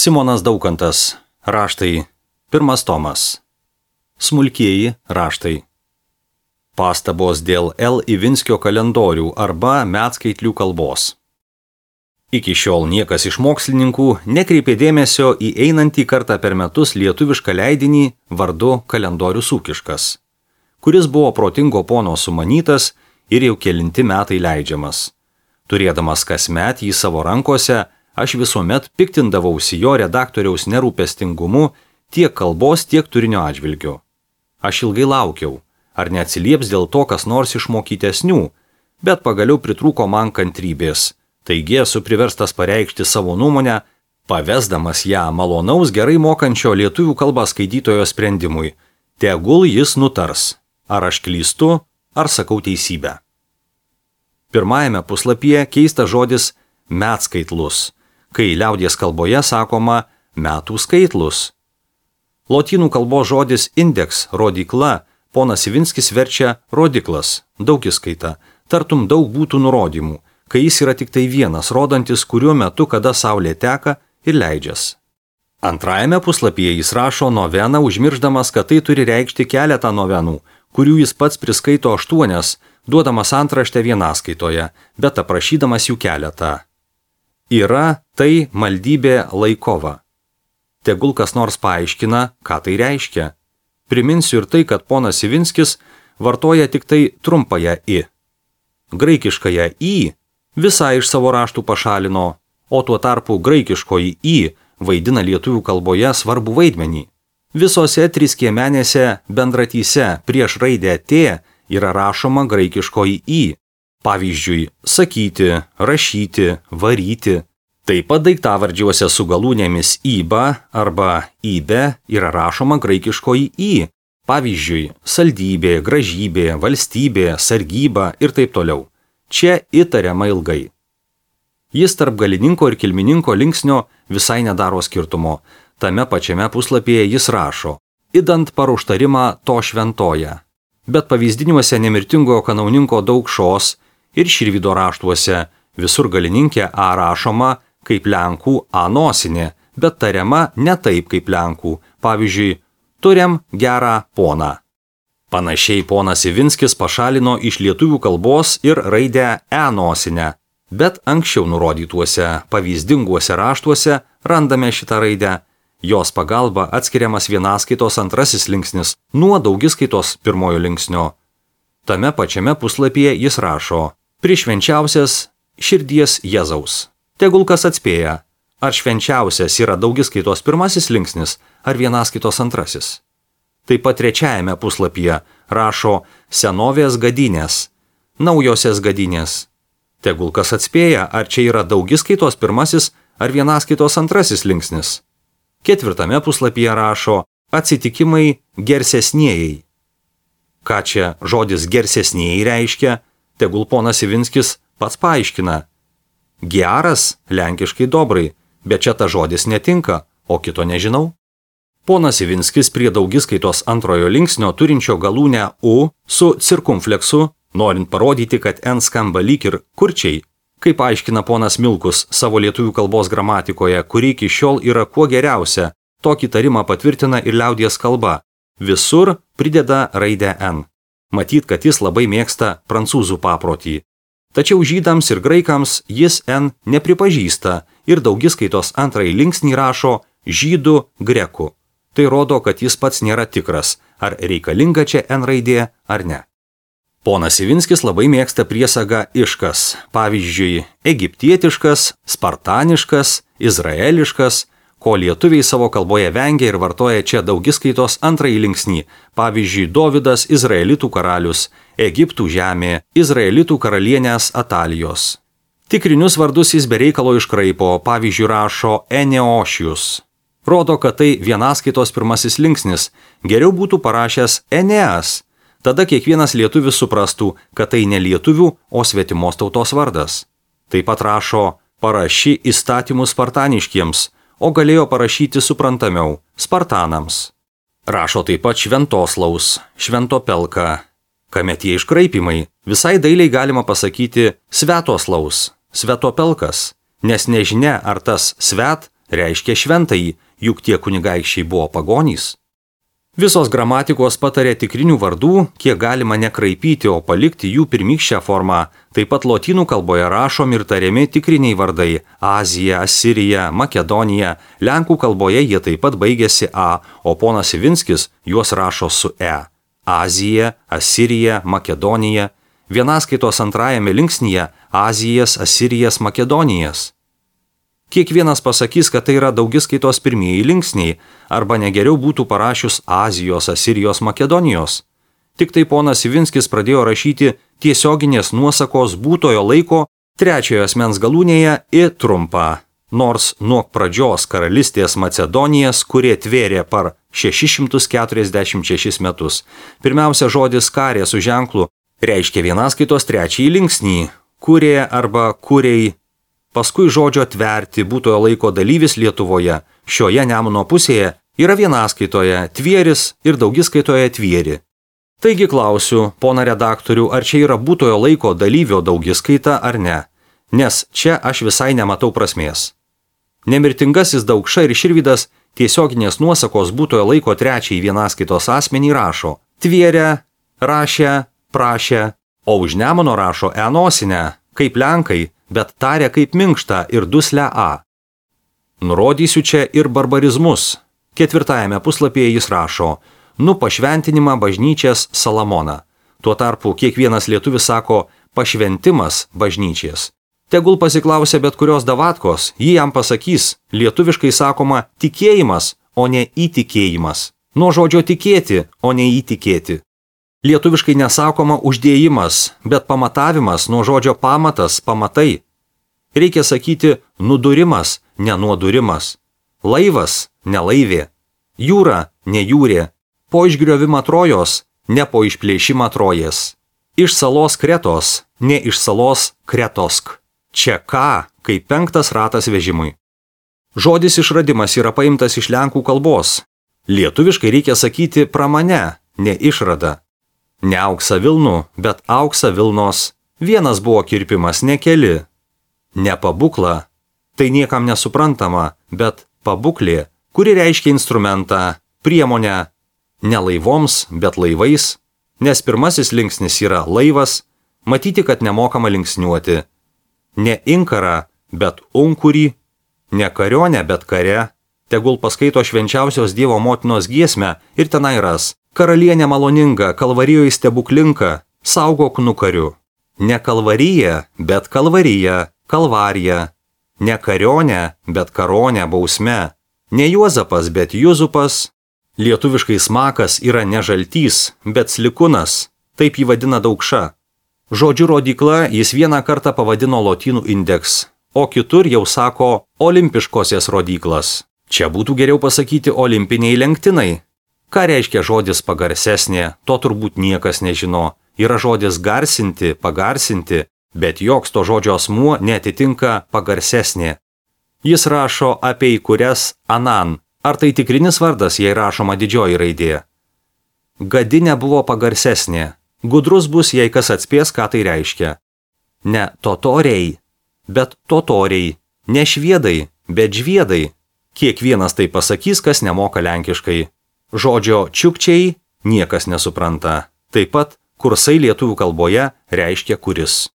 Simonas Daukantas. Raštai. 1 tomas. Smulkieji raštai. Pastabos dėl L. Ivinskio kalendorių arba metskaitlių kalbos. Iki šiol niekas iš mokslininkų nekreipė dėmesio į einantį kartą per metus lietuvišką leidinį vardu Kalendorius ūkiškas, kuris buvo protingo pono sumanytas ir jau kelinti metai leidžiamas. Turėdamas kasmet jį savo rankose, aš visuomet piktindavausi jo redaktoriaus nerūpestingumu tiek kalbos, tiek turinio atžvilgiu. Aš ilgai laukiau, ar neatsilieps dėl to kas nors iš mokytesnių, bet pagaliau pritrūko man kantrybės. Taigi esu priverstas pareikšti savo nuomonę, pavesdamas ją malonaus gerai mokančio lietuvių kalbą skaitytojo sprendimui. Tegul jis nutars, ar aš klystu, ar sakau teisybę. Pirmajame puslapyje keistas žodis metskaitlus, kai liaudies kalboje sakoma metų skaitlus. Lotynų kalbos žodis indeks, rodykla, ponas Ivinskis verčia rodiklas, daugiskaita, tartum daug būtų nurodymų, kai jis yra tik tai vienas, rodantis, kuriuo metu kada saulė teka ir leidžias. Antrajame puslapyje jis rašo noveną, užmiršdamas, kad tai turi reikšti keletą novenų, kurių jis pats priskaito 8, duodamas antraštę vienaskaitoje, bet aprašydamas jų keletą. Yra tai maldybė laikova. Tegul kas nors paaiškina, ką tai reiškia. Priminsiu ir tai, kad ponas Ivinskis vartoja tik tai trumpąją i. Graikiškąją i visai iš savo raštų pašalino, o tuo tarpu graikiškoji i vaidina lietuvių kalboje svarbų vaidmenį. Visose 3 skiemenėse bendratyse prieš raidę t yra rašoma graikiškoji i. Pavyzdžiui, sakyti, rašyti, varyti. Taip pat daiktavardžiuose su galūnėmis iba arba ibe yra rašoma graikiškoji i. Pavyzdžiui, saldybė, gražybė, valstybė, sargyba ir taip toliau. Čia įtariama ilgai. Jis tarp galininko ir kilmininko linksnio visai nedaro skirtumo. Tame pačiame puslapyje jis rašo, idant paruoštarimą to šventoja. Bet pavyzdiniuose nemirtingojo kanauninko Daukšos ir Širvydo raštuose visur galininkė a rašoma kaip lenkų a nosinė, bet tariama ne taip kaip lenkų. Pavyzdžiui, turim gerą poną. Panašiai ponas Ivinskis pašalino iš lietuvių kalbos ir raidę e nosinę, bet anksčiau nurodytuose pavyzdinguose raštuose randame šitą raidę. Jos pagalba atskiriamas vienaskaitos antrasis linksnis nuo daugiskaitos pirmojo linksnio. Tame pačiame puslapyje jis rašo, prišvenčiausias širdies Jėzaus. Tegul kas atspėja, ar švenčiausias yra daugiskaitos pirmasis linksnis ar vienaskaitos antrasis. Taip pat trečiajame puslapyje rašo senovės gadynės, naujosios gadynės. Tegul kas atspėja, ar čia yra daugiskaitos pirmasis ar vienaskaitos antrasis linksnis. 4 puslapyje rašo atsitikimai gersesnieji. Ką čia žodis gersesnieji reiškia, tegul ponas Ivinskis pats paaiškina. Geras, lenkiškai dobrai, bet čia ta žodis netinka, o kito nežinau. Ponas Ivinskis prie daugiskaitos antrojo linksnio turinčio galūnę u su cirkumfleksu, norint parodyti, kad n skamba lyg ir kurčiai, kaip aiškina ponas Milkus savo lietuvių kalbos gramatikoje, kuri iki šiol yra kuo geriausia, tokį tarimą patvirtina ir liaudies kalba. Visur prideda raidę n. Matyt, kad jis labai mėgsta prancūzų paprotį. Tačiau žydams ir graikams jis n nepripažįsta ir daugiskaitos antrąjį linksnį rašo žydų grekų. Tai rodo, kad jis pats nėra tikras, ar reikalinga čia n raidė ar ne. Ponas Ivinskis labai mėgsta priesagą iškas, pavyzdžiui, egiptietiškas, spartaniškas, izraeliškas, ko lietuviai savo kalboje vengia ir vartoja čia daugiskaitos antrąjį linksnį, pavyzdžiui, Dovydas izraelitų karalius, Egiptų žemė, izraelitų karalienės Atalijos. Tikrinius vardus jis bereikalo iškraipo, pavyzdžiui, rašo Eneošius. Rodo, kad tai vienaskaitos pirmasis linksnis, geriau būtų parašęs Eneas. Tada kiekvienas lietuvis suprastų, kad tai ne lietuvių, o svetimos tautos vardas. Taip pat rašo paraši įstatymus spartaniškiems, o galėjo parašyti suprantamiau spartanams. Rašo taip pat šventoslaus, šventopelka. Kame tie iškraipimai? Visai dailiai galima pasakyti svetoslaus, svetopelkas, nes nežinia, ar tas svet reiškia šventąjį, juk tie kunigaikščiai buvo pagonys. Visos gramatikos patarė tikrinių vardų, kiek galima nekraipyti, o palikti jų pirmykščią formą. Taip pat lotynų kalboje rašomi ir tariami tikriniai vardai – Azija, Asirija, Makedonija. Lenkų kalboje jie taip pat baigėsi A, o ponas Ivinskis juos rašo su E. Azija, Asirija, Makedonija. Vienaskaitos antrajame linksnyje – Azijas, Asirijas, Makedonijas. Kiekvienas pasakys, kad tai yra daugiskaitos pirmieji linksniai, arba negeriau būtų parašius Azijos, Asirijos, Makedonijos. Tik tai ponas Ivinskis pradėjo rašyti tiesioginės nuosakos būtojo laiko trečiojo asmens galūnėje I trumpą, nors nuo pradžios karalystės Macedonijas, kurie tvėrė par 646 metus. Pirmiausia, žodis karė su ženklu reiškia vienaskaitos trečiąjį linksnį, kurė arba kuriai. Paskui žodžio tverti būtojo laiko dalyvis Lietuvoje, šioje Nemuno pusėje, yra vienaskaitoje tvėris ir daugiskaitoje tvieri. Taigi klausiu, pona redaktorių, ar čia yra būtojo laiko dalyvio daugiskaita ar ne, nes čia aš visai nematau prasmės. Nemirtingasis Daukša ir Širvydas tiesioginės nuosakos būtojo laiko trečiai vienaskaitos asmenį rašo tvėrę, rašę, prašę, o už Nemuno rašo enosinę, kaip lenkai, bet taria kaip minkštą ir duslę A. Nurodysiu čia ir barbarizmus. 4 puslapyje jis rašo, pašventinimą bažnyčias Salamoną. Tuo tarpu kiekvienas lietuvis sako pašventimas bažnyčias. Tegul pasiklausia bet kurios davatkos, ji jam pasakys, lietuviškai sakoma tikėjimas, o ne įtikėjimas. Nuo žodžio tikėti, o ne įtikėti. Lietuviškai nesakoma uždėjimas, bet pamatavimas nuo žodžio pamatas, pamatai. Reikia sakyti nudurimas, ne nuodurimas. Laivas, ne laivė. Jūra, ne jūrė. Po išgriovimą Trojos, ne po išplėšimą Trojės. Iš salos Kretos, ne iš salos Kretosk. Čia ką, kaip 5 ratas vežimui. Žodis išradimas yra paimtas iš lenkų kalbos. Lietuviškai reikia sakyti pramane, ne išrada. Ne auksa Vilnų, bet auksa Vilnos. Vienas buvo kirpimas, ne keli. Ne pabukla, tai niekam nesuprantama, bet pabuklė, kuri reiškia instrumentą, priemonę. Ne laivoms, bet laivais, nes pirmasis linksnis yra laivas, matyti, kad nemokama linksniuoti. Ne inkarą, bet unkurį. Ne karionę, bet kare. Tegul paskaito švenčiausios Dievo motinos giesmę ir tenai ras. Karalienė maloninga, kalvarijoje stebuklinka, saugok nukariu. Ne kalvarija, bet kalvarija, kalvarija. Ne karionė, bet karonė, bausme. Ne Juozapas, bet Juzupas. Lietuviškai smakas yra ne žaltys, bet slikunas, taip jį vadina Daukša. Žodžiu rodykla jis vieną kartą pavadino lotynų indeks, o kitur jau sako olimpiškosios rodyklas. Čia būtų geriau pasakyti olimpiniai lenktinai. Ką reiškia žodis pagarsesnė, to turbūt niekas nežino. Yra žodis garsinti, pagarsinti, bet joks to žodžio asmuo neatitinka pagarsesnė. Jis rašo apie įkurias anan. Ar tai tikrinis vardas, jei rašoma didžioji raidė? Gadinė buvo pagarsesnė. Gudrus bus, jei kas atspės, ką tai reiškia. Ne totoriai, bet totoriai. Ne šviedai, bet žviedai. Kiekvienas tai pasakys, kas nemoka lenkiškai. Žodžio čiukčiai niekas nesupranta. Taip pat kursai lietuvių kalboje reiškia kuris.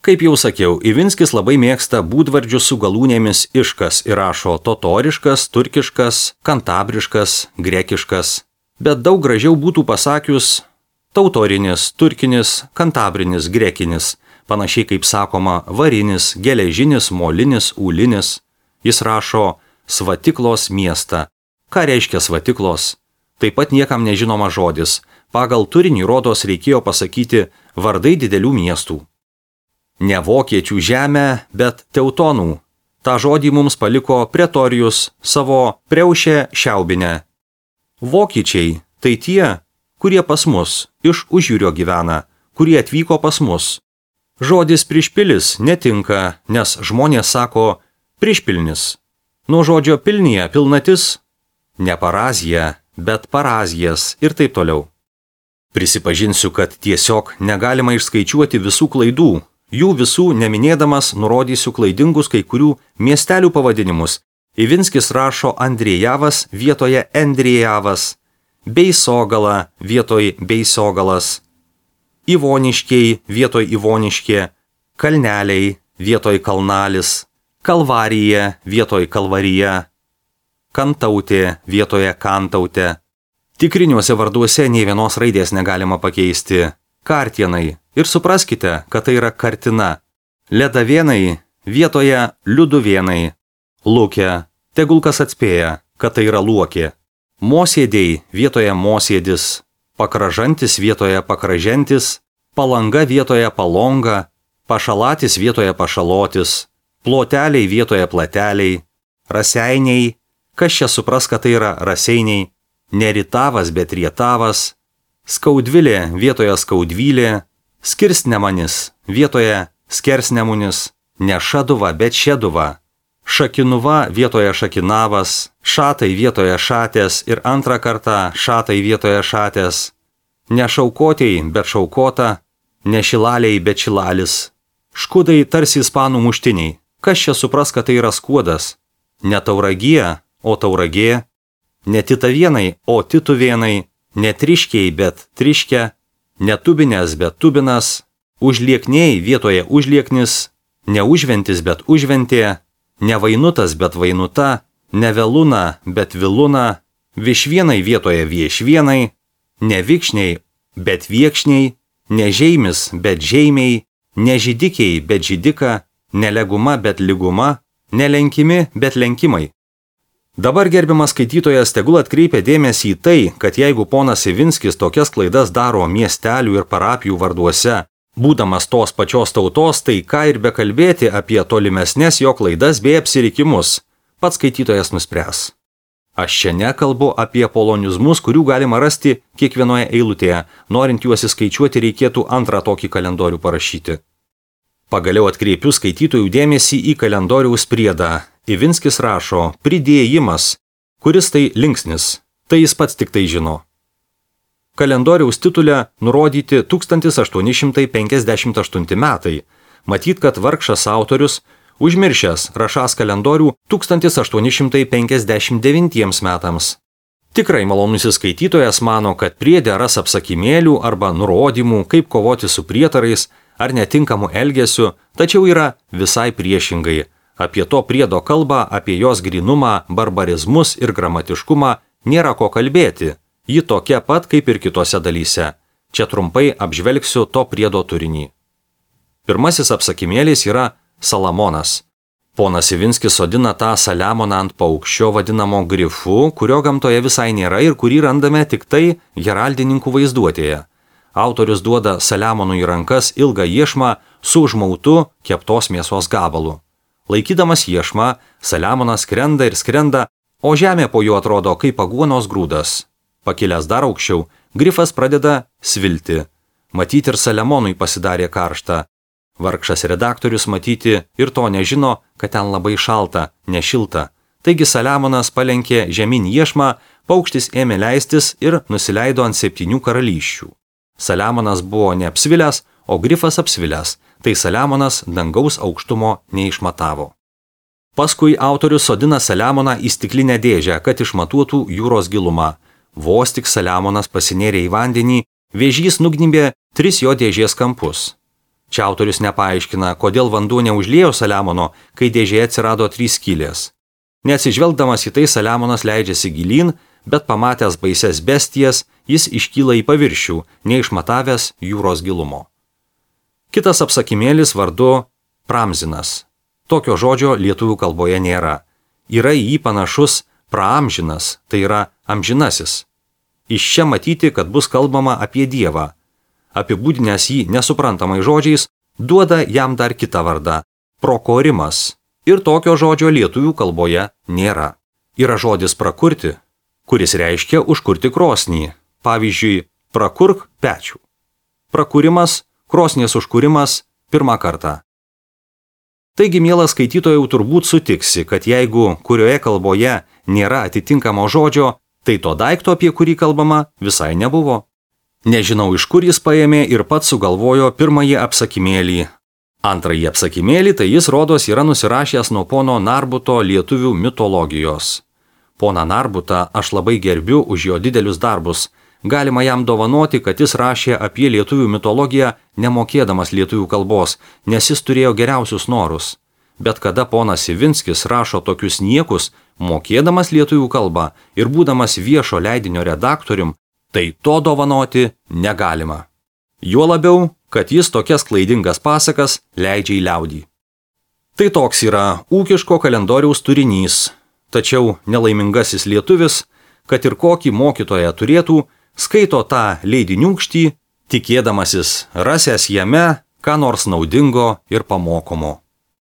Kaip jau sakiau, Ivinskis labai mėgsta būdvardžius su galūnėmis iškas ir rašo totoriškas, turkiškas, kantabriškas, grekiškas. Bet daug gražiau būtų pasakius tautorinis, turkinis, kantabrinis, grekinis, panašiai kaip sakoma varinis, geležinis, molinis, ūlinis. Jis rašo Svatiklos miestą. Ką reiškia Svatiklos? Taip pat niekam nežinoma žodis. Pagal turinį rodos reikėjo pasakyti vardai didelių miestų. Ne vokiečių žemė, bet teutonų. Ta žodį mums paliko Pretorijus savo Priaušę Šiaubinę. Vokiečiai tai tie, kurie pas mus iš užjūrio gyvena, kurie atvyko pas mus. Žodis prišpilis netinka, nes žmonės sako prišpilnis. Nuo žodžio pilnyje pilnatis, ne parazija, bet parazijas ir taip toliau. Prisipažinsiu, kad tiesiog negalima išskaičiuoti visų klaidų. Jų visų neminėdamas nurodysiu klaidingus kai kurių miestelių pavadinimus, Ivinskis rašo Andriejavas vietoje Endriejavas, Beisogala vietoj Beisogalas, Ivoniškiai vietoj Ivoniškė, Kalneliai vietoj Kalnalis, Kalvarija vietoj Kalvarija, Kantautė vietoje Kantautė. Tikriniuose varduose nei vienos raidės negalima pakeisti. Kartienai. Ir supraskite, kad tai yra kartina. Ledavėnai vietoje Liuduvėnai. Lūkė. Tegul kas atspėja, kad tai yra luokė. Mosėdėjai vietoje mosėdis. Pakražantis vietoje pakražentis. Palanga vietoje palonga. Pašalatis vietoje pašalotis. Ploteliai vietoje plateliai. Raseiniai. Kas čia supras, kad tai yra raseiniai? Neritavas, bet rietavas. Skaudvilė vietoje skaudvylė. Skirsnemanis vietoje skersnemunis. Ne šaduva, bet šeduva. Šakinuva vietoje šakinavas. Šatai vietoje šatės ir antrą kartą šatai vietoje šatės. Ne šaukotėjai, bet šaukota. Ne šilaliai, bet šilalis. Škudai tarsi ispanų muštiniai. Kas čia supras, kad tai yra skuodas? Ne tauragija, o tauragė. Ne titavienai, o tituvėnai. Ne triškiai, bet triškė. Ne tubinės, bet tubinas. Užliekniai vietoje užlieknis. Ne užventis, bet užventė. Ne vainutas, bet vainuta. Ne veluna, bet viluna. Višvienai vietoje viešvienai. Ne vikšniai, bet viekšniai. Ne žeimis, bet žeimiai. Ne žydikiai, bet žydika. Ne leguma, bet lyguma. Ne lenkimi, bet lenkimai. Dabar gerbiamas skaitytojas tegul atkreipia dėmesį į tai, kad jeigu ponas Ivinskis tokias klaidas daro miestelių ir parapijų varduose, būdamas tos pačios tautos, tai ką ir bekalbėti apie tolimesnės jo klaidas bei apsirikimus, pats skaitytojas nuspręs. Aš čia nekalbu apie polonizmus, kurių galima rasti kiekvienoje eilutėje, norint juos įskaičiuoti reikėtų antrą tokį kalendorių parašyti. Pagaliau atkreipiu skaitytojų dėmesį į kalendoriaus priedą. Ivinskis rašo pridėjimas, kuris tai linksnis, tai jis pats tik tai žino. Kalendoriaus titule nurodyti 1858 metai. Matyt, kad vargšas autorius, užmiršęs rašąs kalendorių 1859 metams. Tikrai malonusis skaitytojas mano, kad priede ras apsakymėlių arba nurodymų, kaip kovoti su prietarais ar netinkamu elgesiu, tačiau yra visai priešingai. Apie to priedo kalbą, apie jos grynumą, barbarizmus ir gramatiškumą nėra ko kalbėti. Ji tokia pat kaip ir kitose dalyse. Čia trumpai apžvelgsiu to priedo turinį. Pirmasis apsakymėlis yra Salamonas. Ponas Ivinskis sodina tą Saliamoną ant paukščio vadinamo grifu, kurio gamtoje visai nėra ir kurį randame tik tai heraldininkų vaizduotėje. Autorius duoda Saliamonui į rankas ilgą iešmą su užmautu keptos mėsos gabalu. Laikydamas iešmą, Saliamonas skrenda ir skrenda, o žemė po juo atrodo kaip aguonos grūdas. Pakilęs dar aukščiau, grifas pradeda svilti. Matyti ir Saliamonui pasidarė karšta. Vargšas redaktorius matyti ir to nežino, kad ten labai šalta, nešilta. Taigi Saliamonas palenkė žemyn iešmą, paukštis ėmė leistis ir nusileido ant 7 karalysčių. Saliamonas buvo neapsvilęs, o grifas apsvilęs. Tai Saliamonas dangaus aukštumo neišmatavo. Paskui autorius sodina Saliamoną į stiklinę dėžę, kad išmatuotų jūros gilumą. Vos tik Saliamonas pasinėrė į vandenį, vėžys nugnybė 3 jo dėžės kampus. Čia autorius nepaaiškina, kodėl vanduo neužliejo Saliamono, kai dėžėje atsirado 3 skylės. Neatsižvelgdamas į tai Saliamonas leidžiasi gilyn, bet pamatęs baises bestijas, jis iškyla į paviršių, neišmatavęs jūros gilumo. Kitas apsakymėlis vardu Pramzinas. Tokio žodžio lietuvių kalboje nėra. Yra į jį panašus praamžinas, tai yra amžinasis. Iš čia matyti, kad bus kalbama apie Dievą. Apibūdinęs jį nesuprantamai žodžiais, duoda jam dar kitą vardą – prokorimas. Ir tokio žodžio lietuvių kalboje nėra. Yra žodis prakurti, kuris reiškia užkurti krosnį. Pavyzdžiui, prakurk pečių. Prakūrimas, krosnies užkūrimas pirmą kartą. Taigi, mielas skaitytojau, turbūt sutiksi, kad jeigu kurioje kalboje nėra atitinkamo žodžio, tai to daikto, apie kurį kalbama, visai nebuvo. Nežinau, iš kur jis paėmė ir pats sugalvojo pirmąjį apsakymėlį. Antrąjį apsakymėlį tai jis rodos yra nusirašęs nuo pono Narbuto lietuvių mitologijos. Pona Narbutą aš labai gerbiu už jo didelius darbus. Galima jam dovanoti, kad jis rašė apie lietuvių mitologiją nemokėdamas lietuvių kalbos, nes jis turėjo geriausius norus. Bet kada ponas Ivinskis rašo tokius niekus, mokėdamas lietuvių kalbą ir būdamas viešo leidinio redaktorium, tai to dovanoti negalima. Juo labiau, kad jis tokias klaidingas pasakas leidžia į liaudį. Tai toks yra ūkiško kalendoriaus turinys, tačiau nelaimingasis lietuvis, kad ir kokį mokytoją turėtų, skaito tą leidiniūkštį, tikėdamasis rasęs jame ką nors naudingo ir pamokomo.